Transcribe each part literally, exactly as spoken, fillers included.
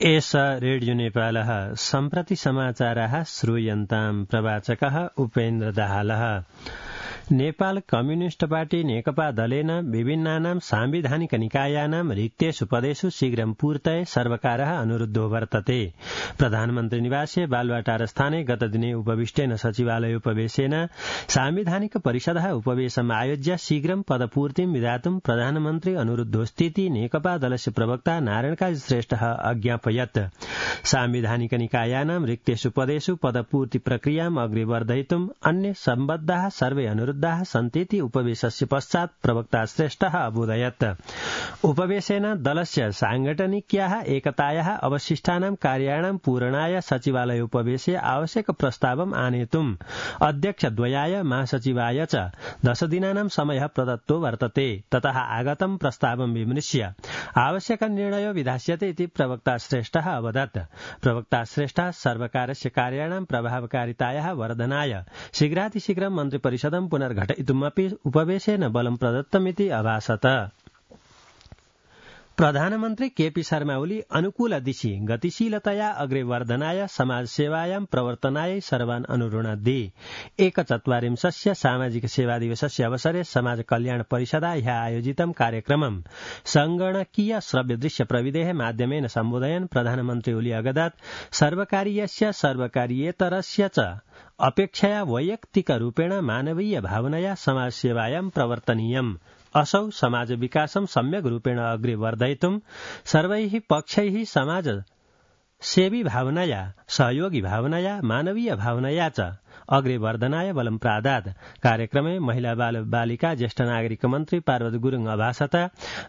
एष रेडियो नेपालः सम्प्रति समाचाराः श्रूयन्ताम् प्रवाचकः उपेन्द्र दाहालः। नेपाल कम्युनिस्ट पार्टी नेकपा दलेन विभिन्नानां सांविधानिक निकायानां रिक्तेषु पदेषु शीघ्रं पूर्तये सर्वकारः अनुरुद्धो वर्तते। प्रधानमन्त्री निवासे बालुवाटारस्थाने गतदिने उपविष्टेन सचिवालयोपवेशेन सांविधानिक परिषदः उपवेशम् आयोज्य शीघ्रं पदपूर्तिं विधातुं प्रधानमन्त्री अनुरुद्धोस्तीति नेकपा दलस्य प्रवक्ता नारायणकाजी श्रेष्ठः अज्ञापयत्। सांविधानिक निकायानां रिक्तेषु पदेषु पदपूर्ति प्रक्रियाम् अग्रे वर्धयितुम् अन्य सम्बद्धाः सर्वे अनुरुद्धाः सन्तीति उपवेशस्य पश्चात् प्रवक्ता श्रेष्ठः अबोधयत्। उपवेशेन दलस्य सांगठनिक्याः एकतायाः अवशिष्टानां कार्याणां पूरणाय सचिवालयोपवेशे आवश्यक प्रस्तावम् आनेतुम् अध्यक्षद्वयाय महासचिवाय च दश दिनानां समयः प्रदत्तो वर्तते। ततः आगतं प्रस्तावं विमृश्य आवश्यक निर्णयो विधास्यते इति प्रवक्ता श्रेष्ठः अवदत्। प्रवक्ता श्रेष्ठः सर्वकारस्य कार्याणां प्रभावकारितायाः वर्धनाय शीघ्रातिशीघ्रं मन्त्रिपरिषदं पुनर्घटयितुमपि उपवेशेन बलं प्रदत्तमिति अभासत। प्रधानमन्त्री केपी शर्मा ओली अनुकूल दिशि गतिशीलतया अग्रे वर्धनाय समाजसेवायां प्रवर्तनाय सर्वान् अनुरुणद्धि। एकचत्वारिंशस्य सामाजिक सेवा दिवसस्य अवसरे समाज कल्याण परिषदा ह्यः आयोजितं कार्यक्रमं संगणकीय श्रव्य दृश्य प्रविधेः माध्यमेन सम्बोधयन् प्रधानमन्त्री ओली अगदत् सर्वकारीयस्य सर्वकारीयेतरस्य च अपेक्षया वैयक्तिकरूपेण मानवीय भावनया समाजसेवायां प्रवर्तनीयम्। असौ समाज विकासं सम्यक् रूपेण अग्रे वर्धयितुं सर्वैः पक्षैः समाज सेवी भावनया सहयोगी भावनया मानवीय भावनया च अग्रे वर्धनाय बलं प्रादात्। कार्यक्रमे महिला बाल बालिका ज्येष्ठ नागरिक मन्त्री पार्वती गुरुङ अभासत।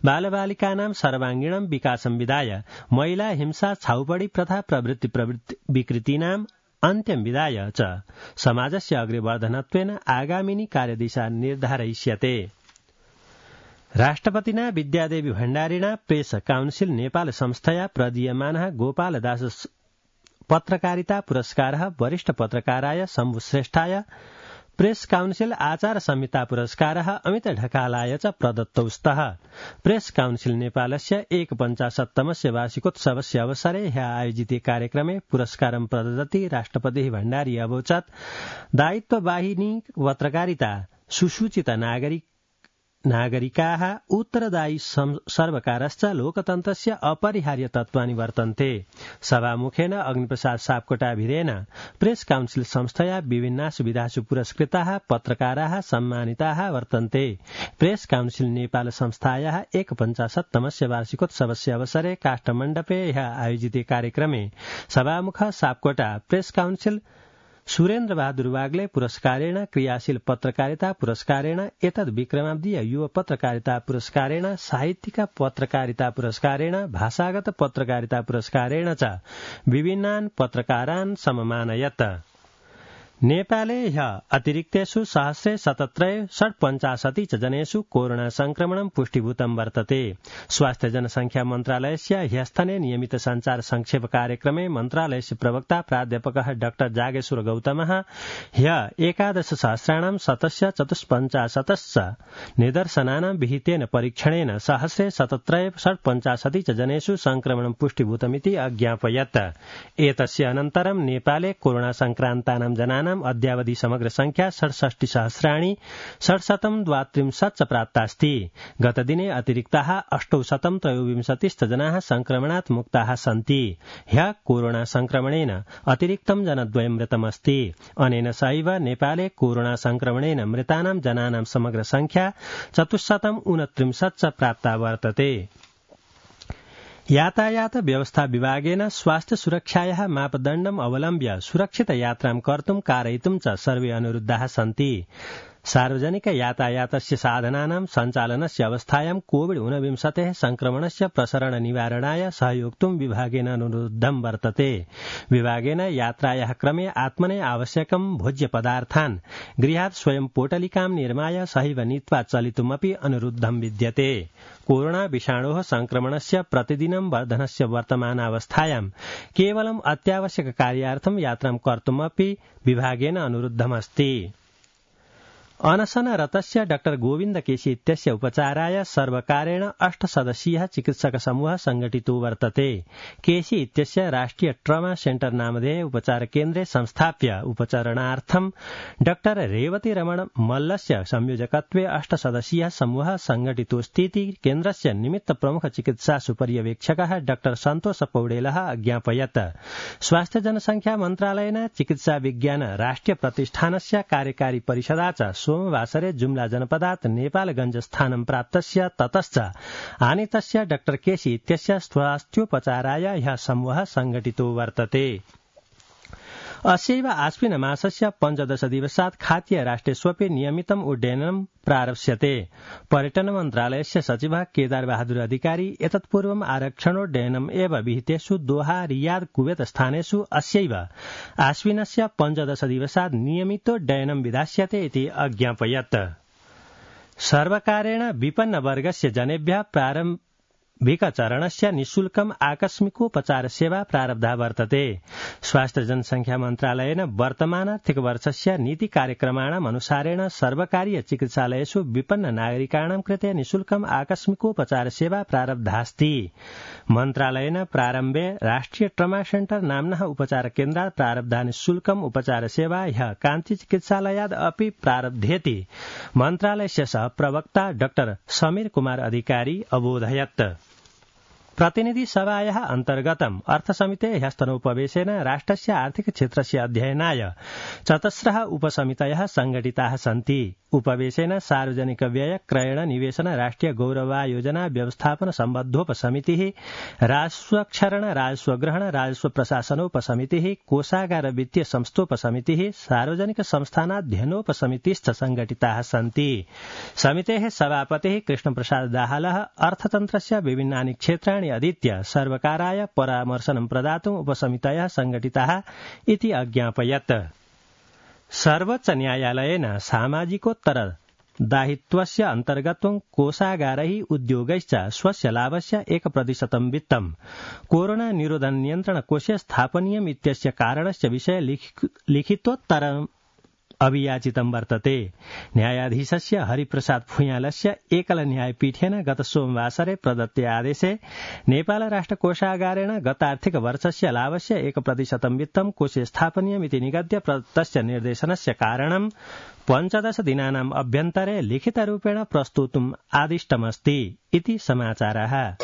बालबालिकानां सर्वाङ्गीणं विकासं विधाय महिला हिंसा छाउपडी प्रथा प्रवृत्ति प्रवृत्ति विकृतीनाम् अन्त्यं विधाय च समाजस्य अग्रे वर्धनत्वेन आगामिनी कार्यदिशा निर्धारयिष्यते। राष्ट्रपतिना विद्यादेवी भण्डारिणा प्रेस काउन्सिल नेपाल संस्थया प्रदीयमानः गोपालदास पत्रकारिता पुरस्कारः वरिष्ठ पत्रकाराय शम्भु श्रेष्ठाय, प्रेस काउन्सिल आचार संहिता पुरस्कारः अमित ढकालाय च प्रदत्तौ स्तः। प्रेस काउन्सिल नेपालस्य एकपञ्चाशत्तमस्य वार्षिकोत्सवस्य अवसरे ह्यः आयोजिते कार्यक्रमे पुरस्कारं प्रददति राष्ट्रपतिः भण्डारी अवोचत् दायित्ववाहिनी पत्रकारिता सुसूचित नागरिक नागरिकाः उत्तरदायी सर्वकारश्च लोकतन्त्रस्य अपरिहार्य तत्त्वानि वर्तन्ते। सभामुखेन अग्निप्रसाद सापकोटाभिरेन प्रेस काउन्सिल संस्थया विभिन्नासु विधासु पुरस्कृताः पत्रकाराः सम्मानिताः वर्तन्ते। प्रेस काउन्सिल नेपाल संस्थायाः एकपञ्चाशत्तमस्य वार्षिकोत्सवस्य अवसरे काष्ठमण्डपे ह्यः आयोजिते कार्यक्रमे सभामुखः सापकोटा प्रेस काउन्सिल सुरेन्द्र बहादुर वाग्ले पुरस्कारेण, क्रियाशील पत्रकारिता पुरस्कारेण, एतद् विक्रमाब्दीय युव पत्रकारिता पुरस्कारेण, साहित्यिक पत्रकारिता पुरस्कारेण, भाषागत पत्रकारिता पुरस्कारेण च विभिन्नान् पत्रकारान् सममानयत्। नेपाले ह्यः अतिरिक्तेषु सहस्रे सतत्रय षट्पञ्चाशति च जनेषु कोरोना संक्रमणं पुष्टिभूतं वर्तते। स्वास्थ्य जनसंख्या मन्त्रालयस्य ह्यस्तने नियमित संचार संक्षेप कार्यक्रमे मन्त्रालयस्य प्रवक्ता प्राध्यापकः डाक्टर जागेश्वर गौतमः ह्यः एकादश सहस्राणां शतस्य चतुष्पञ्चाशतश्च निदर्शनानां विहितेन परीक्षणेन सहस्रे सतत्रय षट्पञ्चाशति च जनेषु संक्रमणं पुष्टिभूतमिति अज्ञापयत्। एतस्य अनन्तरं नेपाले कोरोना संक्रान्तानां जनानां अद्यावधि समग्र संख्या षट्षष्टि सहस्राणि षट्शतं द्वात्रिंशत् च प्राप्तास्ति। गतदिने अतिरिक्ताः अष्टौशतं त्रयोविंशतिश्च जनाः संक्रमणात् मुक्ताः सन्ति। ह्यः कोरोना संक्रमणेन अतिरिक्तं जनद्वयं मृतमस्ति। अनेन सहैव नेपाले कोरोना संक्रमणेन मृतानां जनानां समग्र संख्या चतुश्शतं ऊनत्रिंशत् च प्राप्ता वर्तते। यातायात व्यवस्था विभागेन स्वास्थ्य सुरक्षायाः मापदण्डम् अवलम्ब्य सुरक्षित यात्रां कर्तुं कारयितुं च सर्वे अनुरुद्धाः सन्ति। सार्वजनिक यातायातस्य साधनानां सञ्चालनस्य अवस्थायां कोविड ऊनविंशतेः संक्रमणस्य प्रसरण निवारणाय सहयोक्तुं विभागेन अनुरुद्धं वर्तते। विभागेन यात्रायाः क्रमे आत्मने आवश्यकं भोज्यपदार्थान् गृहात् स्वयं पोटलिकां निर्माय सहैव नीत्वा चलितुमपि अनुरुद्धं विद्यते। कोरोना विषाणोः संक्रमणस्य प्रतिदिनं वर्धनस्य वर्तमानावस्थायां केवलम् अत्यावश्यक कार्यार्थं यात्रां कर्तुमपि विभागेन अनुरुद्धमस्ति। अनशनरतस्य डाक्टर गोविन्द केसी इत्यस्य उपचाराय सर्वकारेण अष्टसदस्यीयः चिकित्सकसमूहः संघटितो वर्तते। केसी इत्यस्य राष्ट्रिय ट्रमा सेन्टर नामधेय उपचारकेन्द्रे संस्थाप्य उपचारणार्थं डाक्टर रेवती रमण मल्लस्य संयोजकत्वे अष्टसदस्यीयः समूहः संघटितोऽस्तीति केन्द्रस्य निमित्त प्रमुख चिकित्सा सुपर्यवेक्षकः डाक्टर सन्तोष पौडेलः अज्ञापयत्। स्वास्थ्य जनसंख्या मन्त्रालयेन चिकित्सा विज्ञान राष्ट्रिय प्रतिष्ठानस्य कार्यकारी परिषदा च सोमवासरे जुम्ला जनपदात् नेपालगंज स्थानं प्राप्तस्य ततश्च आनीतस्य डाक्टर केसी इत्यस्य स्वास्थ्योपचाराय ह्यः समूहः संघटितो वर्तते। अस्यैव आश्विन मासस्य पञ्चदश दिवसात् खातीय राष्ट्रेष्वपि नियमितम् उड्डयनं प्रारप्स्यते। पर्यटन मन्त्रालयस्य सचिवः केदार बहादुर अधिकारी एतत्पूर्वम् आरक्षणोड्डयनम् एव विहितेषु दोहा रियाद कुवेत स्थानेषु अस्यैव आश्विनस्य पञ्चदश दिवसात् नियमितोड्डयनं विधास्यते इति अज्ञापयत्। सर्वकारेण विपन्नवर्गस्य जनेभ्यः प्रारम्भ भिकचरणस्य निःशुल्कम् आकस्मिकोपचार सेवा प्रारब्धा वर्तते। स्वास्थ्य जनसंख्या मन्त्रालयेन वर्तमानार्थिक वर्षस्य नीति कार्यक्रमाणाम् अनुसारेण सर्वकारीय चिकित्सालयेषु विपन्न नागरिकाणां कृते निःशुल्कम् आकस्मिकोपचार सेवा प्रारब्धास्ति। मन्त्रालयेन प्रारम्भे राष्ट्रिय ट्रमा सेन्टर नाम्नः उपचार केन्द्रात् प्रारब्धा निःशुल्कम् उपचार सेवा ह्यः कान्ति चिकित्सालयाद् अपि प्रारब्धेति मन्त्रालयस्य सह प्रवक्ता डाक्टर समीर कुमार अधिकारी अबोधयत्। प्रतिनिधि सभायाः अन्तर्गतम् अर्थसमितेः ह्यस्तनोपवेशेन राष्ट्रस्य आर्थिक क्षेत्रस्य अध्ययनाय चतस्रः उपसमितयः संघटिताः सन्ति। उपवेशेन सार्वजनिक व्यय क्रयण निवेशन राष्ट्रिय गौरवायोजना व्यवस्थापन सम्बद्धोपसमितिः, राजस्वक्षरण राजस्व ग्रहण राजस्व प्रशासनोपसमितिः, कोषागार वित्तीय संस्थोपसमितिः, सार्वजनिक संस्थानाध्ययनोपसमितिश्च संघटिताः सन्ति। समितेः सभापतिः कृष्णप्रसाद दाहालः अर्थतन्त्रस्य विभिन्नानि क्षेत्राणि अधीत्य सर्वकाराय परामर्शनं प्रदातुम् उपसमितयः संघटिताः इति अज्ञापयत्। सर्वोच्च न्यायालयेन सामाजिकोत्तर दायित्वस्य अन्तर्गत्वं कोषागारैः उद्योगैश्च स्वस्य लाभस्य एक प्रतिशतं वित्तं कोरोना निरोधन नियन्त्रण कोषे स्थापनीयम् इत्यस्य कारणस्य विषये लिखितोत्तरम् अभियाचितं वर्तते। न्यायाधीशस्य हरिप्रसाद फुयालस्य एकल न्यायपीठेन गत सोमवासरे प्रदत्ते आदेशे नेपाल राष्ट्र कोषागारेण गतार्थिक वर्षस्य लाभस्य एक प्रतिशतं वित्तं कोषे स्थापनीयमिति निगद्य प्रदत्तस्य निर्देशनस्य कारणं पञ्चदश दिनानाम् अभ्यन्तरे लिखितरूपेण प्रस्तोतुम् आदिष्टमस्ति इति समाचारः।